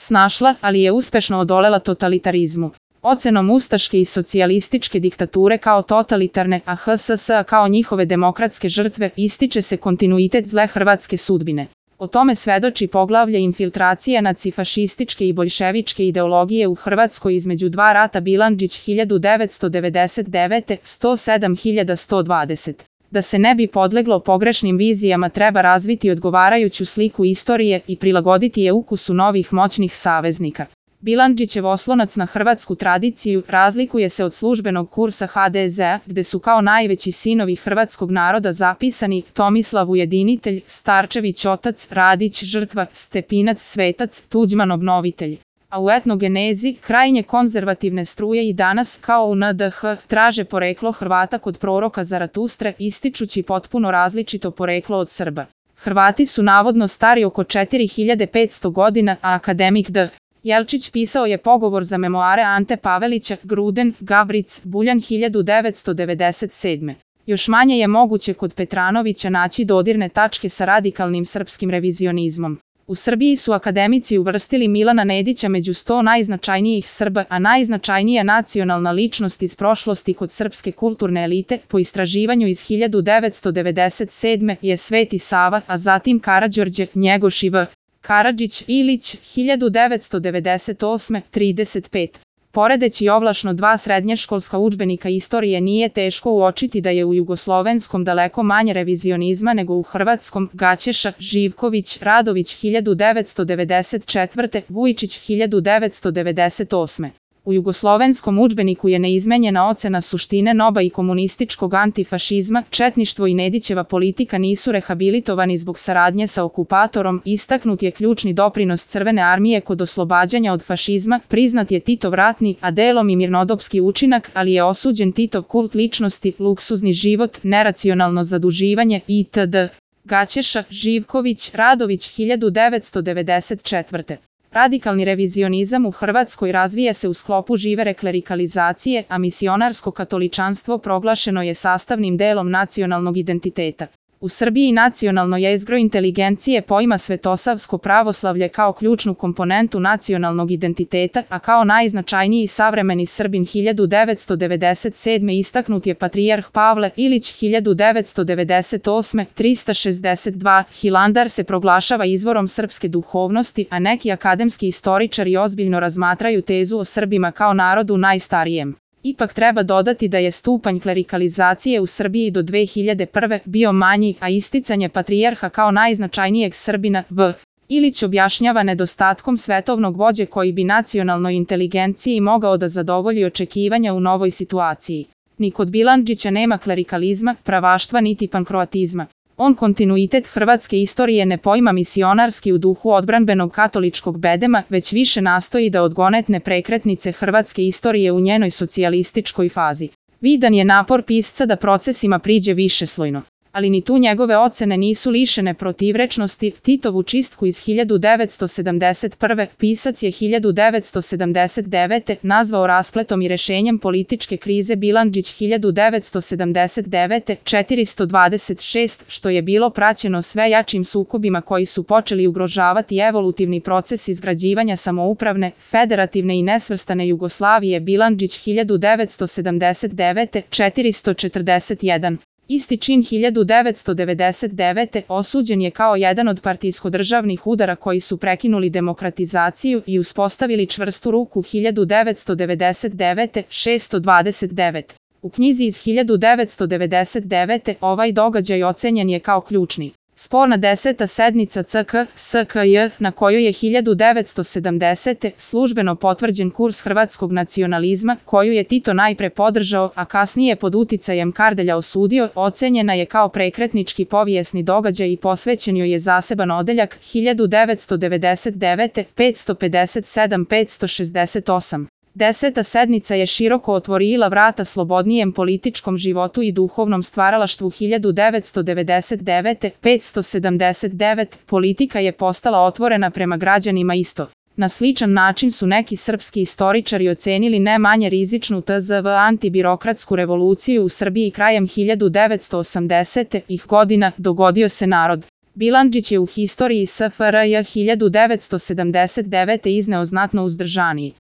snašla, ali je uspešno odolela totalitarizmu. Ocenom ustaške i socijalističke diktature kao totalitarne, a HSS kao njihove demokratske žrtve, ističe se kontinuitet zle hrvatske sudbine. O tome svedoči poglavlje infiltracije nacifašističke i boljševičke ideologije u Hrvatskoj između dva rata Bilandžić 1999. 107.120. Da se ne bi podleglo pogrešnim vizijama, treba razviti odgovarajuću sliku istorije i prilagoditi je ukusu novih moćnih saveznika. Bilandžićev oslonac na hrvatsku tradiciju razlikuje se od službenog kursa HDZ-a, gde su kao najveći sinovi hrvatskog naroda zapisani Tomislav ujedinitelj, Starčević otac, Radić žrtva, Stepinac svetac, Tuđman obnovitelj. A u etnogenezi, krajnje konzervativne struje i danas, kao u NDH, traže poreklo Hrvata kod proroka Zaratustre, ističući potpuno različito poreklo od Srba. Hrvati su navodno stari oko 4500 godina, a akademik D. Jelčić pisao je pogovor za memoare Ante Pavelića, Gruden, Gavric, Buljan 1997. Još manje je moguće kod Petranovića naći dodirne tačke sa radikalnim srpskim revizionizmom. U Srbiji su akademici uvrstili Milana Nedića među 100 najznačajnijih Srba, a najznačajnija nacionalna ličnost iz prošlosti kod srpske kulturne elite, po istraživanju iz 1997. je Sveti Sava, a zatim Karađorđe, Njegoš i V. Karadžić, Ilić, 1998. 35. Poredeći ovlašno dva srednješkolska udžbenika istorije, nije teško uočiti da je u jugoslovenskom daleko manje revizionizma nego u hrvatskom. Gaćeša, Živković, Radović 1994. Vujčić 1998. U jugoslovenskom udžbeniku je neizmenjena ocena suštine NOB-a i komunističkog antifašizma. Četništvo i Nedićeva politika nisu rehabilitovani zbog saradnje sa okupatorom. Istaknut je ključni doprinos Crvene armije kod oslobađanja od fašizma. Priznat je Titov ratni, a delom i mirnodopski učinak, ali je osuđen Titov kult ličnosti, luksuzni život, neracionalno zaduživanje itd. Gaćeša, Živković, Radović 1994. Radikalni revizionizam u Hrvatskoj razvija se u sklopu žive klerikalizacije, a misionarsko katoličanstvo proglašeno je sastavnim delom nacionalnog identiteta. U Srbiji nacionalno jezgro inteligencije poima svetosavsko pravoslavlje kao ključnu komponentu nacionalnog identiteta, a kao najznačajniji savremeni Srbin 1997. istaknut je patrijarh Pavle Ilić 1998. 362. Hilandar se proglašava izvorom srpske duhovnosti, a neki akademski istoričari ozbiljno razmatraju tezu o Srbima kao narodu najstarijem. Ipak treba dodati da je stupanj klerikalizacije u Srbiji do 2001. bio manji, a isticanje patrijarha kao najznačajnijeg Srbina V. Ilić objašnjava nedostatkom svetovnog vođe koji bi nacionalnoj inteligenciji mogao da zadovolji očekivanja u novoj situaciji. Ni kod Bilandžića nema klerikalizma, pravaštva niti pankroatizma. On kontinuitet hrvatske istorije ne poima misionarski u duhu odbranbenog katoličkog bedema, već više nastoji da odgonetne prekretnice hrvatske istorije u njenoj socijalističkoj fazi. Vidan je napor pisca da procesima priđe višeslojno. Ali ni tu njegove ocene nisu lišene protivrečnosti. Titovu čistku iz 1971. pisac je 1979. nazvao raspletom i rešenjem političke krize. Bilandžić 1979. 426, što je bilo praćeno sve jačim sukobima koji su počeli ugrožavati evolutivni proces izgrađivanja samoupravne, federativne i nesvrstane Jugoslavije. Bilandžić 1979. 441. Isti čin 1999. osuđen je kao jedan od partijsko-državnih udara koji su prekinuli demokratizaciju i uspostavili čvrstu ruku. 1999. 629. U knjizi iz 1999. ovaj događaj ocenjen je kao ključni. Sporna 10. sednica CK-SKJ, na kojoj je 1970. službeno potvrđen kurs hrvatskog nacionalizma, koju je Tito najpre podržao, a kasnije pod uticajem Kardelja osudio, ocenjena je kao prekretnički povijesni događaj i posvećen joj je zaseban odeljak. 1999. 557-568. 10. sednica je široko otvorila vrata slobodnijem političkom životu i duhovnom stvaralaštvu. 1999. 579. politika je postala otvorena prema građanima isto. Na sličan način su neki srpski istoričari ocenili ne manje rizičnu tzv. antibirokratsku revoluciju u Srbiji krajem 1980. godina. Dogodio se narod. Bilandžić je u historiji SFRJ 1979. izneo znatno uzdržaniji.